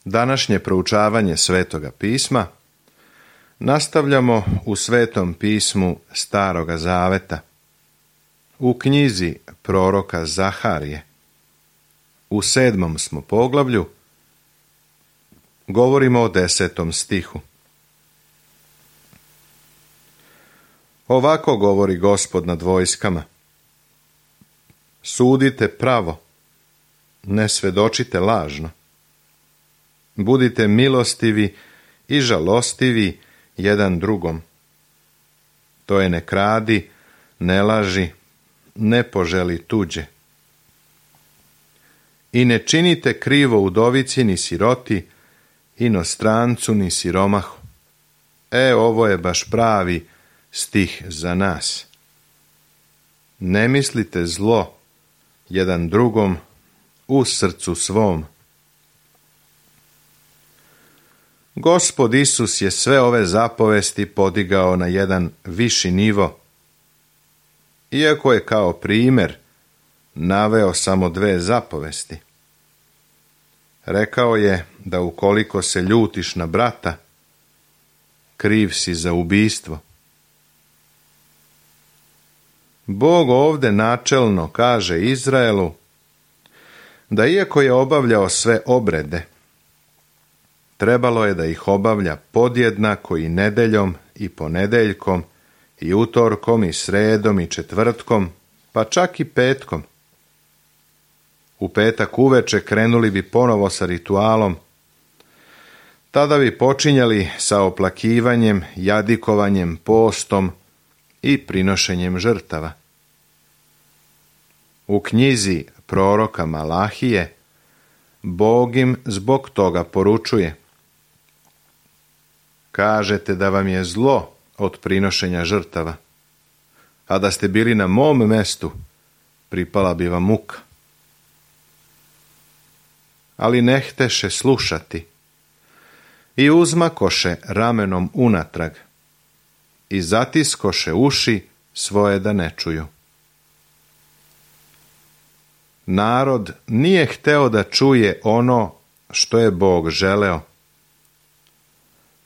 Današnje proučavanje Svetoga pisma nastavljamo u Svetom pismu Staroga Zaveta, u knjizi proroka Zaharije. U 7. smo poglavlju, govorimo o 10. stihu. Ovako govori Gospod nad vojskama: sudite pravo, ne svedočite lažno. Budite milostivi i žalostivi jedan drugom. To je ne kradi, ne laži, ne poželi tuđe. I ne činite krivo udovici ni siroti, inostrancu ni siromahu. Ovo je baš pravi stih za nas. Ne mislite zlo jedan drugom u srcu svom. Gospod Isus je sve ove zapovesti podigao na jedan viši nivo, iako je kao primjer naveo samo 2 zapovesti. Rekao je da ukoliko se ljutiš na brata, kriv si za ubistvo. Bog ovdje načelno kaže Izraelu da iako je obavljao sve obrede, trebalo je da ih obavlja podjednako i nedeljom i ponedeljkom i utorkom i sredom i četvrtkom, pa čak i petkom. U petak uveče krenuli bi ponovo sa ritualom. Tada bi počinjali sa oplakivanjem, jadikovanjem, postom i prinošenjem žrtava. U knjizi proroka Malahije Bog im zbog toga poručuje: kažete da vam je zlo od prinošenja žrtava, a da ste bili na mom mestu, pripala bi vam muka. Ali ne hteše slušati i uzmakoše ramenom unatrag i zatiskoše uši svoje da ne čuju. Narod nije hteo da čuje ono što je Bog želeo,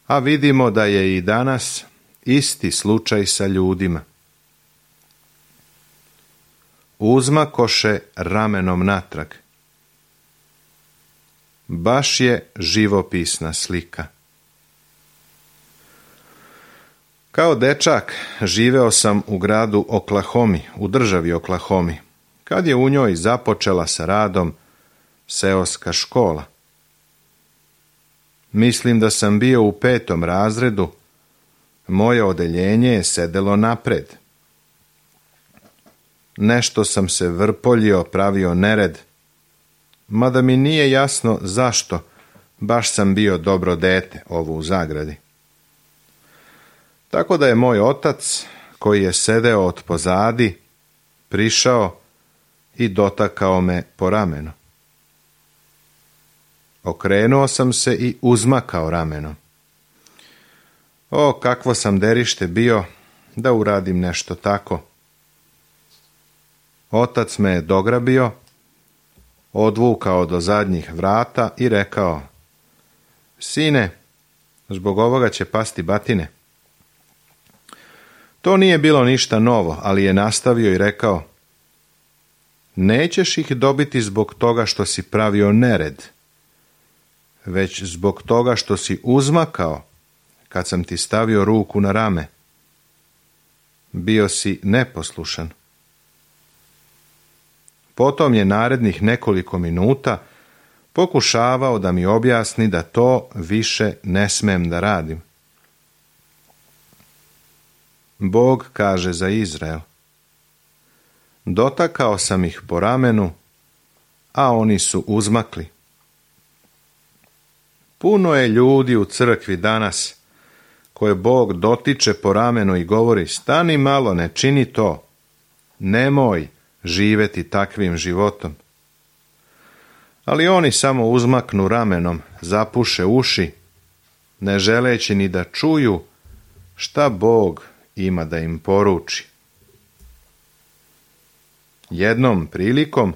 a vidimo da je i danas isti slučaj sa ljudima. Uzmakoše ramenom natrag. Baš je živopisna slika. Kao dečak živeo sam u gradu Oklahomi, u državi Oklahomi, kad je u njoj započela sa radom seoska škola. Mislim da sam bio u 5. razredu, moje odeljenje je sedelo napred. Nešto sam se vrpoljio, pravio nered, mada mi nije jasno zašto, baš sam bio dobro dete, ovo u zagradi. Tako da je moj otac, koji je sedeo od pozadi, prišao i dotakao me po ramenu. Okrenuo sam se i uzmakao ramenom. Kakvo sam derište bio da uradim nešto tako. Otac me je dograbio, odvukao do zadnjih vrata i rekao: sine, zbog ovoga će pasti batine. To nije bilo ništa novo, ali je nastavio i rekao: nećeš ih dobiti zbog toga što si pravio nered, već zbog toga što si uzmakao kad sam ti stavio ruku na rame. Bio si neposlušan. Potom je narednih nekoliko minuta pokušavao da mi objasni da to više ne smem da radim. Bog kaže za Izrael: dotakao sam ih po ramenu, a oni su uzmakli. Puno je ljudi u crkvi danas koje Bog dotiče po ramenu i govori: stani malo, ne čini to, nemoj živjeti takvim životom. Ali oni samo uzmaknu ramenom, zapuše uši, ne želeći ni da čuju šta Bog ima da im poruči. Jednom prilikom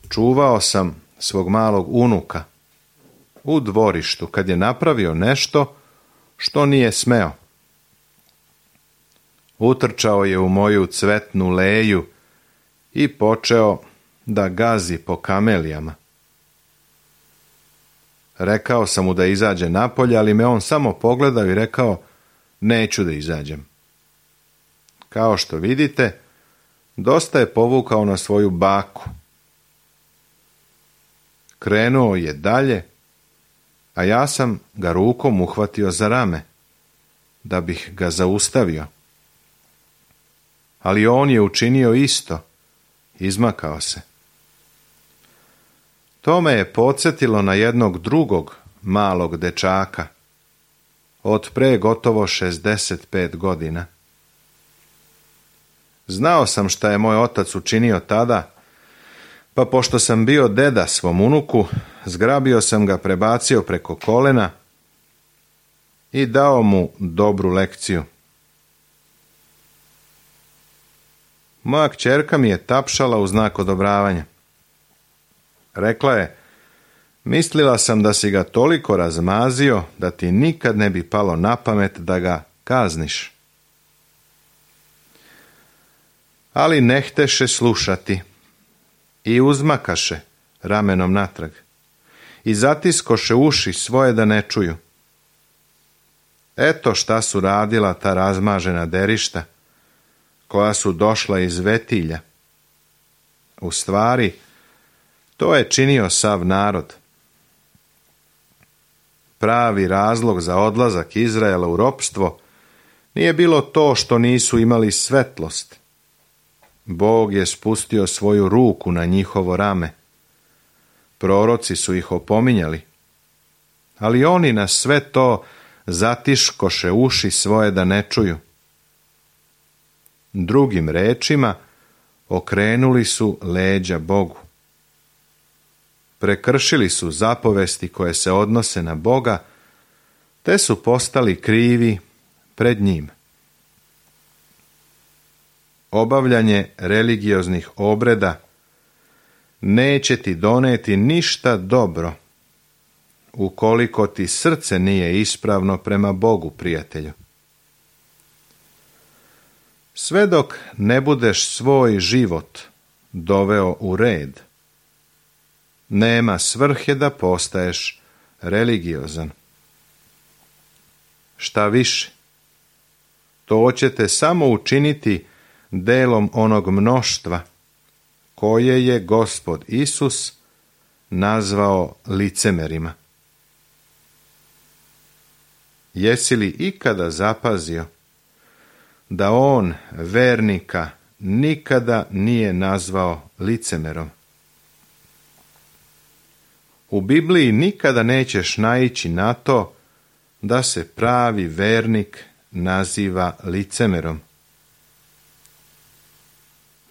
čuvao sam svog malog unuka. u dvorištu kad je napravio nešto što nije smeo. Utrčao je u moju cvetnu leju i počeo da gazi po kamelijama. Rekao sam mu da izađe napolje, ali me on samo pogledao i rekao, neću da izađem. Kao što vidite, dosta je povukao na svoju baku. Krenuo je dalje, a ja sam ga rukom uhvatio za rame, da bih ga zaustavio. Ali on je učinio isto, izmakao se. To me je podsjetilo na jednog drugog malog dečaka, od pre gotovo 65 godina. Znao sam šta je moj otac učinio tada, pa pošto sam bio deda svom unuku, zgrabio sam ga, prebacio preko kolena i dao mu dobru lekciju. Moja kćerka mi je tapšala u znak odobravanja. Rekla je, mislila sam da si ga toliko razmazio da ti nikad ne bi palo na pamet da ga kazniš. Ali ne hteše slušati i uzmakaše ramenom natrag i zatiskoše uši svoje da ne čuju. Eto šta su radila ta razmažena derišta koja su došla iz Vetilja. U stvari, to je činio sav narod. Pravi razlog za odlazak Izraela u ropstvo nije bilo to što nisu imali svetlost. Bog je spustio svoju ruku na njihovo rame. Proroci su ih opominjali, ali oni na sve to zatiškoše uši svoje da ne čuju. Drugim rečima, okrenuli su leđa Bogu. Prekršili su zapovesti koje se odnose na Boga, te su postali krivi pred njim. Obavljanje religioznih obreda neće ti doneti ništa dobro, ukoliko ti srce nije ispravno prema Bogu, prijatelju. Sve dok ne budeš svoj život doveo u red, nema svrhe da postaješ religiozan. Šta više, to će te samo učiniti delom onog mnoštva koje je Gospod Isus nazvao licemerima. Jesi li ikada zapazio da on vernika nikada nije nazvao licemerom? U Bibliji nikada nećeš naići na to da se pravi vernik naziva licemerom.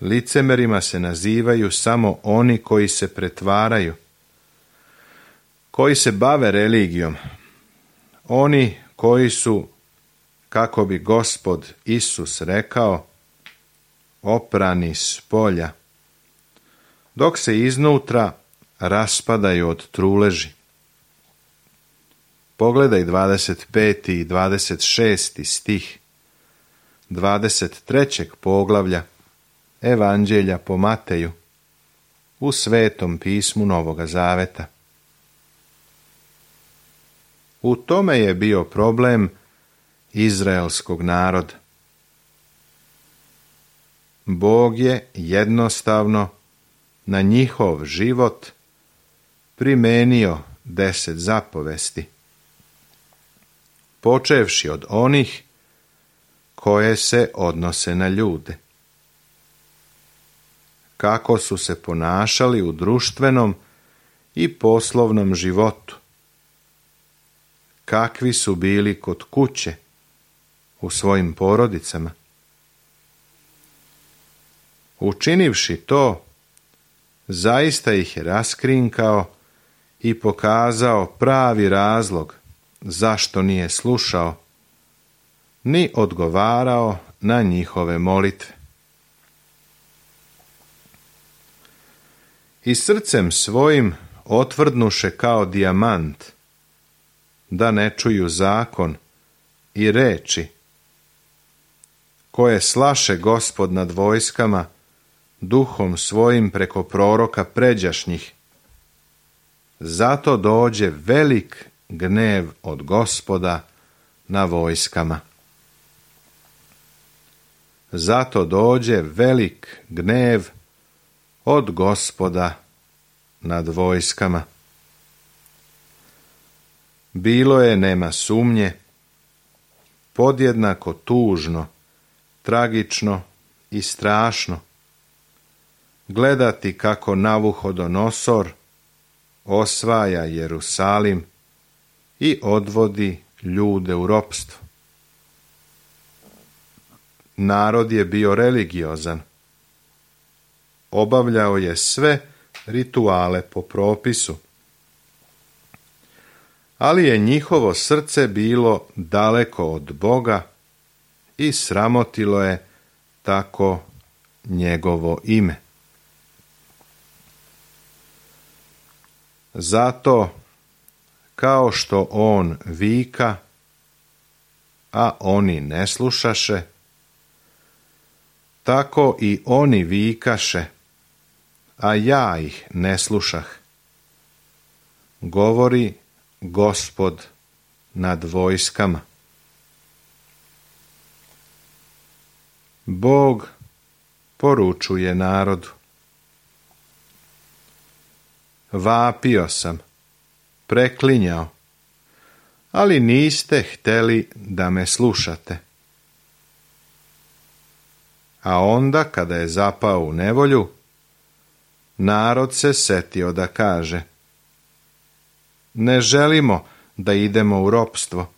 Licemerima se nazivaju samo oni koji se pretvaraju, koji se bave religijom, oni koji su, kako bi Gospod Isus rekao, oprani s polja, dok se iznutra raspadaju od truleži. Pogledaj 25. i 26. stih 23. poglavlja Evanđelja po Mateju u Svetom pismu Novoga Zaveta. U tome je bio problem izraelskog naroda. Bog je jednostavno na njihov život primenio 10 zapovesti, počevši od onih koje se odnose na ljude. Kako su se ponašali u društvenom i poslovnom životu, kakvi su bili kod kuće, u svojim porodicama. Učinivši to, zaista ih je raskrinkao i pokazao pravi razlog zašto nije slušao, ni odgovarao na njihove molitve. I srcem svojim otvrdnuše kao dijamant da ne čuju zakon i reči koje slaše Gospod nad vojskama duhom svojim preko proroka pređašnjih. Zato dođe velik gnev od Gospoda na vojskama. Zato dođe velik gnev od Gospoda nad vojskama. Bilo je, nema sumnje, podjednako tužno, tragično i strašno gledati kako Navuhodonosor osvaja Jerusalim i odvodi ljude u ropstvo. Narod je bio religiozan. Obavljao je sve rituale po propisu. Ali je njihovo srce bilo daleko od Boga i sramotilo je tako njegovo ime. Zato, kao što on vika, a oni ne slušaše, tako i oni vikaše, a ja ih ne slušah. Govori Gospod nad vojskama. Bog poručuje narodu. Vapio sam, preklinjao, ali niste htjeli da me slušate. A onda, kada je zapao u nevolju, narod se setio da kaže: ne želimo da idemo u ropstvo,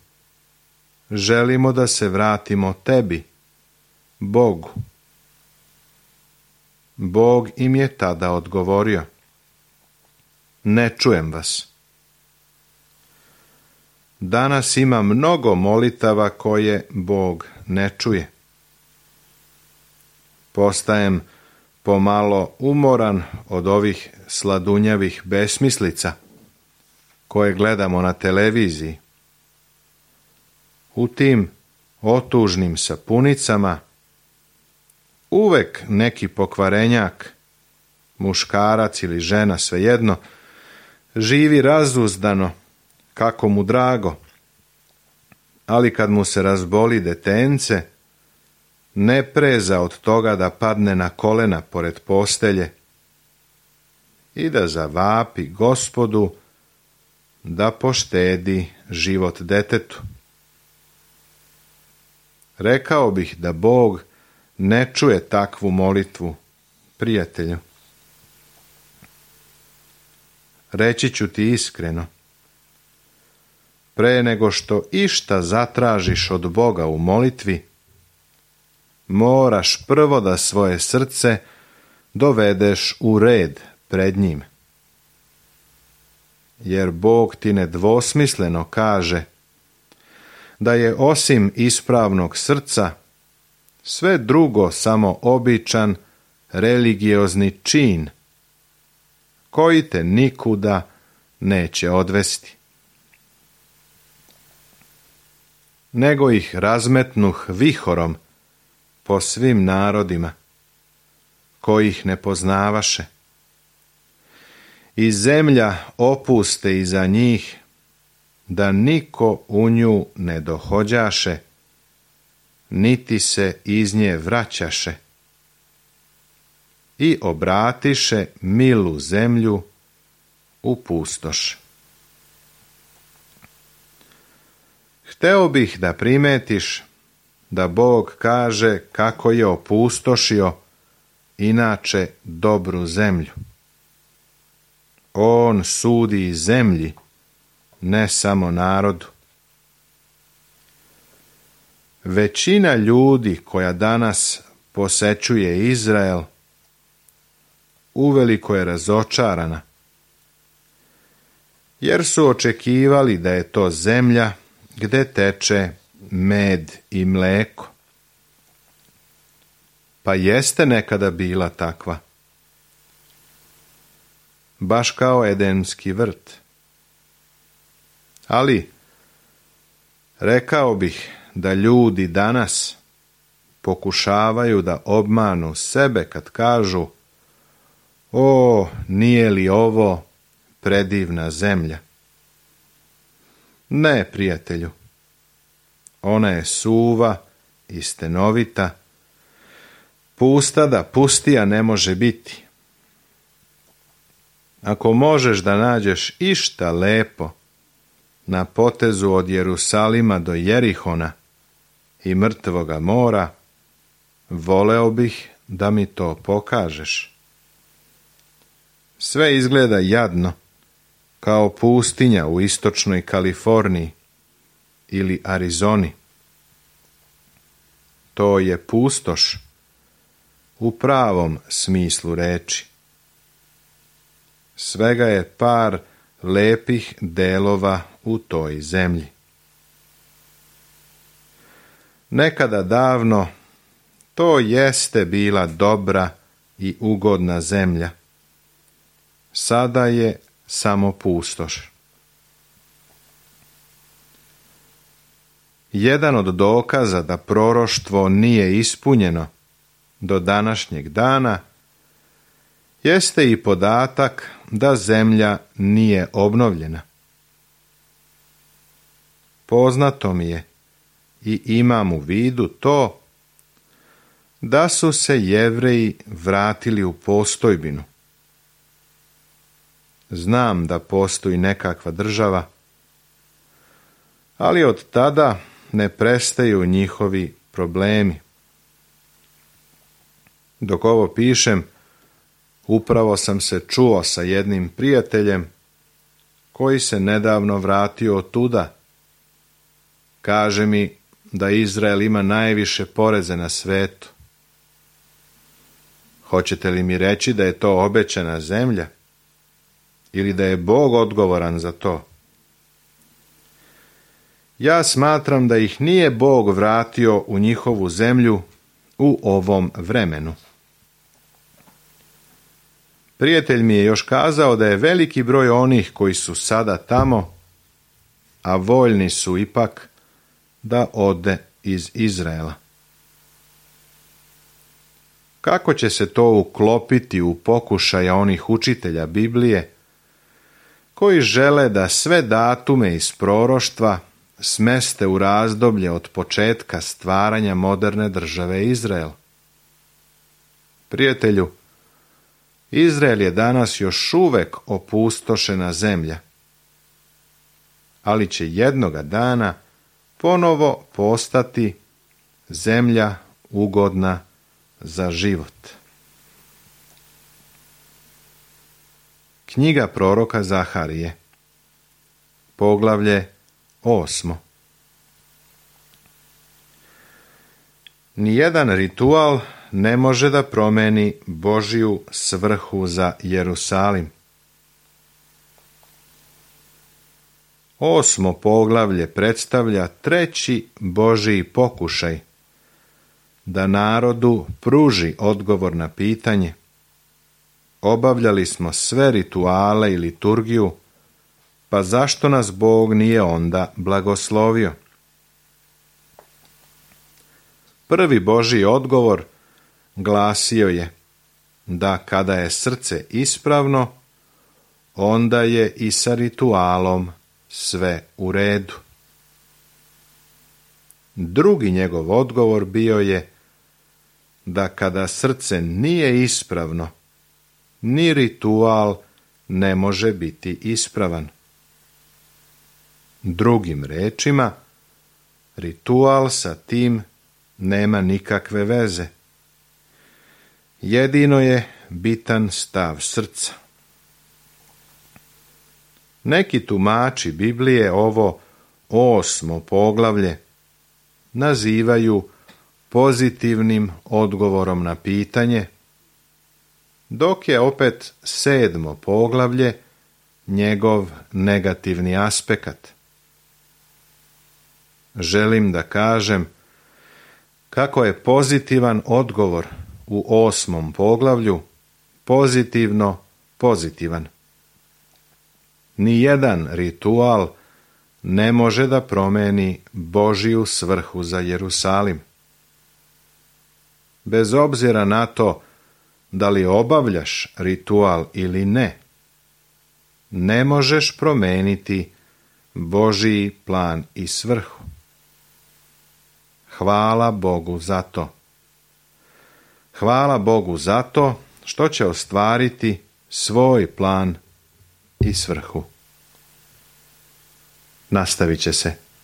želimo da se vratimo tebi, Bogu. Bog im je tada odgovorio: ne čujem vas. Danas ima mnogo molitava koje Bog ne čuje. Postajem pomalo umoran od ovih sladunjavih besmislica koje gledamo na televiziji. U tim otužnim sapunicama uvek neki pokvarenjak, muškarac ili žena, svejedno, živi razuzdano kako mu drago, ali kad mu se razboli detence, ne preza od toga da padne na kolena pored postelje i da zavapi Gospodu da poštedi život detetu. Rekao bih da Bog ne čuje takvu molitvu, prijatelju. Reći ću ti iskreno, pre nego što išta zatražiš od Boga u molitvi, moraš prvo da svoje srce dovedeš u red pred njim. Jer Bog ti nedvosmisleno kaže da je osim ispravnog srca sve drugo samo običan religiozni čin koji te nikuda neće odvesti. Nego ih razmetnuh vihorom po svim narodima koji ih ne poznavaše. I zemlja opuste iza njih, da niko u nju ne dohođaše, niti se iz nje vraćaše. I obratiše milu zemlju u pustoš. Hteo bih da primetiš da Bog kaže kako je opustošio inače dobru zemlju. On sudi zemlji, ne samo narodu. Većina ljudi koja danas posećuje Izrael uveliko je razočarana, jer su očekivali da je to zemlja gde teče med i mleko. Pa jeste nekada bila takva. Baš kao Edenski vrt. Ali Rekao bih da ljudi danas pokušavaju da obmanu sebe kad kažu: o, nije li ovo predivna zemlja? Ne, prijatelju, ona je suva i stenovita, pusta da pustija ne može biti. Ako možeš da nađeš išta lepo na potezu od Jerusalima do Jerihona i Mrtvoga mora, voleo bih da mi to pokažeš. Sve izgleda jadno, kao pustinja u istočnoj Kaliforniji ili Arizoni. To je pustoš u pravom smislu reči. Svega je par lepih delova u toj zemlji. Nekada davno to jeste bila dobra i ugodna zemlja. Sada je samo pustoš. Jedan od dokaza da proroštvo nije ispunjeno do današnjeg dana jeste i podatak da zemlja nije obnovljena. Poznato mi je i imam u vidu to da su se Jevreji vratili u postojbinu. Znam da postoji nekakva država, ali od tada ne prestaju njihovi problemi. Dok ovo pišem, upravo sam se čuo sa jednim prijateljem koji se nedavno vratio otuda. Kaže mi da Izrael ima najviše poreze na svetu. Hoćete li mi reći da je to obećana zemlja? Ili da je Bog odgovoran za to? Ja smatram da ih nije Bog vratio u njihovu zemlju u ovom vremenu. Prijatelj mi je još kazao da je veliki broj onih koji su sada tamo, a voljni su ipak da ode iz Izraela. Kako će se to uklopiti u pokušaja onih učitelja Biblije koji žele da sve datume iz proroštva smeste u razdoblje od početka stvaranja moderne države Izrael? Prijatelju, Izrael je danas još uvek opustošena zemlja, ali će jednoga dana ponovo postati zemlja ugodna za život. Knjiga proroka Zaharije, poglavlje 8. Nijedan ritual ne može da promeni Božju svrhu za Jerusalim. 8. poglavlje predstavlja treći Božji pokušaj da narodu pruži odgovor na pitanje: obavljali smo sve rituale i liturgiju, pa zašto nas Bog nije onda blagoslovio? Prvi Božji odgovor glasio je da kada je srce ispravno, onda je i sa ritualom sve u redu. Drugi njegov odgovor bio je da kada srce nije ispravno, ni ritual ne može biti ispravan. Drugim rečima, ritual sa tim nema nikakve veze. Jedino je bitan stav srca. Neki tumači Biblije ovo 8. poglavlje nazivaju pozitivnim odgovorom na pitanje, dok je opet 7. poglavlje njegov negativni aspekt. Želim da kažem kako je pozitivan odgovor u 8. poglavlju pozitivno pozitivan. Nijedan ritual ne može da promeni Božiju svrhu za Jerusalim. Bez obzira na to da li obavljaš ritual ili ne, ne možeš promeniti Božiji plan i svrhu. Hvala Bogu za to. Hvala Bogu za to što će ostvariti svoj plan i svrhu. Nastavit će se.